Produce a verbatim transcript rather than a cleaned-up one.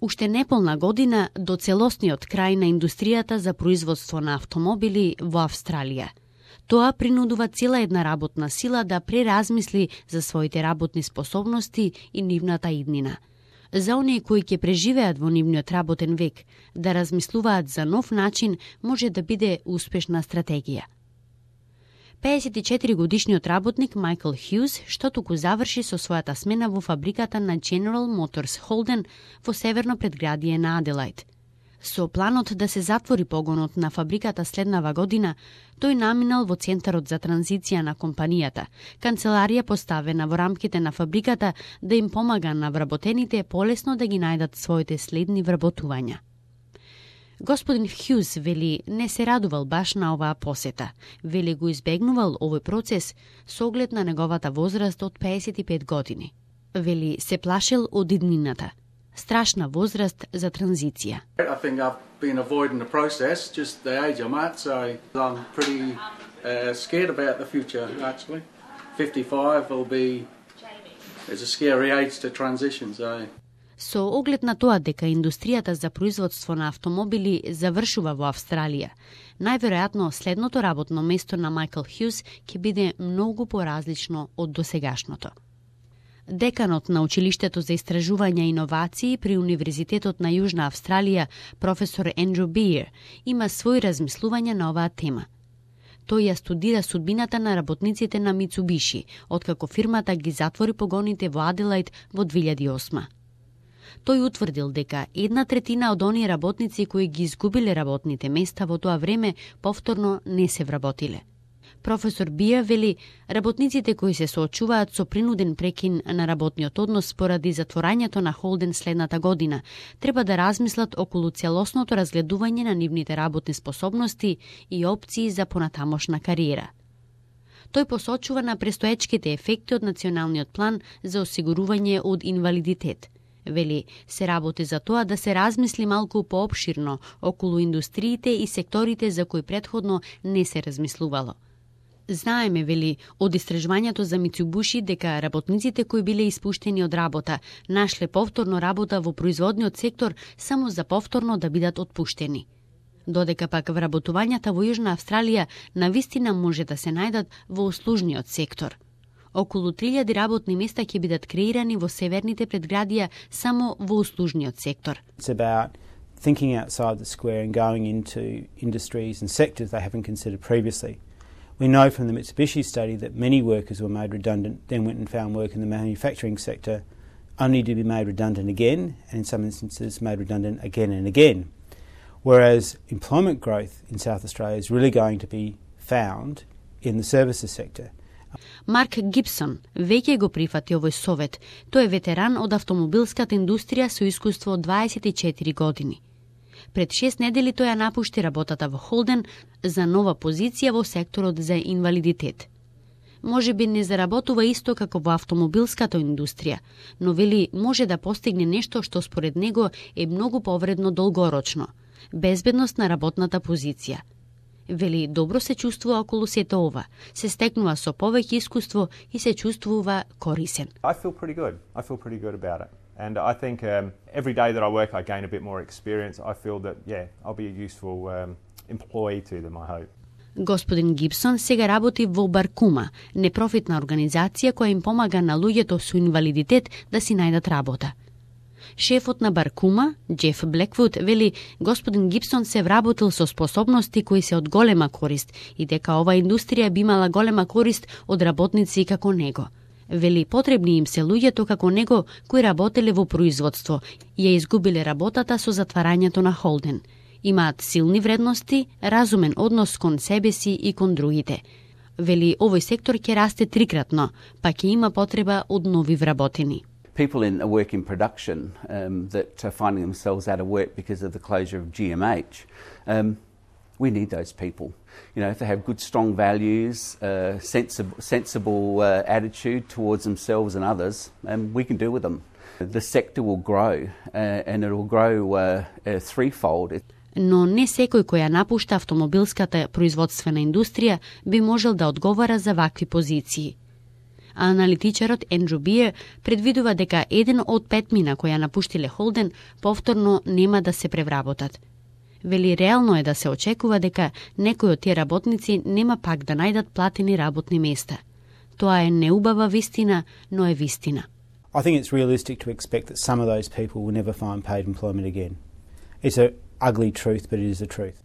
Уште неполна година до целосниот крај на индустријата за производство на автомобили во Австралија. Тоа принудува цела една работна сила да преразмисли за своите работни способности и нивната иднина. За оние кои ќе преживеат во нивниот работен век, да размислуваат за нов начин може да биде успешна стратегија. пеесет и четири годишниот работник Майкл Хјуз, што туку заврши со својата смена во фабриката на General Motors Holden во северно предградие на Аделаид. Со планот да се затвори погонот на фабриката следнава година, тој наминал во Центарот за транзиција на компанијата, канцеларија поставена во рамките на фабриката да им помага на вработените полесно да ги најдат своите следни вработувања. Господин Хјуз вели не се радувал баш на оваа посета. Вели го избегнувал овој процес со оглед на неговата возраст од пеесет и пет години. Вели се плашел од иднината. Страшна возраст за транзиција. I think I've been avoiding the process, just the age I'm at, so I'm pretty uh, scared about the future, actually. fifty-five will be, it's a scary age to transition, so... Со оглед на тоа дека индустријата за производство на автомобили завршува во Австралија, најверојатно следното работно место на Майкл Хјуз ќе биде многу поразлично од досегашното. Деканот на Училиштето за истражување и иновации при Универзитетот на Јужна Австралија, професор Ендрю Биер, има свој размислување на оваа тема. Тој ја студира судбината на работниците на Мицубиши, откако фирмата ги затвори погоните во Аделаид во две илјади и осма. Тој утврдил дека една третина од оние работници кои ги изгубиле работните места во тоа време повторно не се вработиле. Професор Бија вели, работниците кои се соочуваат со принуден прекин на работниот однос поради затворањето на Холден следната година, треба да размислат околу целосното разгледување на нивните работни способности и опции за понатамошна кариера. Тој посочува на престоечките ефекти од националниот план за осигурување од инвалидитет. Вели, се работи за тоа да се размисли малку поопширно околу индустриите и секторите за кои претходно не се размислувало. Знаеме, вели, од истражувањето за Мицубуши дека работниците кои биле испуштени од работа нашле повторно работа во производниот сектор само за повторно да бидат отпуштени. Додека пак вработувањата во Јужна Австралија навистина може да се најдат во услужниот сектор. Околу три илјади работни места ќе бидат креирани во северните предградија само во услужниот сектор. It's about thinking outside the square and going into industries and sectors they haven't considered previously. We know from the Mitsubishi study that many workers were made redundant, then went and found work in the manufacturing sector, only to be made redundant again, and in some instances made redundant again and again. Whereas employment growth in South Australia is really going to be found in the services sector. Марк Гибсон веќе го прифати овој совет. Тој е ветеран од автомобилската индустрија со искуство од дваесет и четири години. Пред шест недели тој ја напушти работата во Холден за нова позиција во секторот за инвалидитет. Може би не заработува исто како во автомобилската индустрија, но вели може да постигне нешто што според него е многу повредно долгорочно – безбедност на работната позиција. Вели, добро се чувствува околу сето ова, се стекнува со повеќе искуство и се чувствува корисен. I feel pretty good. I feel pretty good about it. And I think um, every day that I work I gain a bit more experience. I feel that, yeah, I'll be a useful um, employee to them, I hope. Господин Гибсон сега работи во Баркума, непрофитна организација која им помага на луѓето со инвалидитет да си најдат работа. Шефот на Баркума, Джеф Блеквуд, вели господин Гибсон се вработил со способности кои се од голема корист и дека ова индустрија би имала голема корист од работници како него. Вели потребни им се луѓето како него кои работеле во производство и ја изгубиле работата со затварањето на Холден. Имаат силни вредности, разумен однос кон себе си и кон другите. Вели овој сектор ќе расте трикратно, па ќе има потреба од нови вработени. People in work in production um, that are finding themselves out of work because of the closure of G M H, um, we need those people. You know, if they have good, strong values, uh, sensible, sensible uh, attitude towards themselves and others, um, we can deal with them. The sector will grow, uh, and it will grow uh, uh, threefold. Но не секој кој ја напушта автомобилската производствена индустрија би можел да одговара за вакви позиции. а аналитичарот Ендрю Бие предвидува дека еден од пет мина која напуштиле Холден повторно нема да се превработат. Вели реално е да се очекува дека некои од тие работници нема пак да најдат платени работни места. Тоа е неубава вистина, но е вистина. I think it's realistic to expect that some of those people will never find paid employment again. It's an ugly truth, but it is a truth.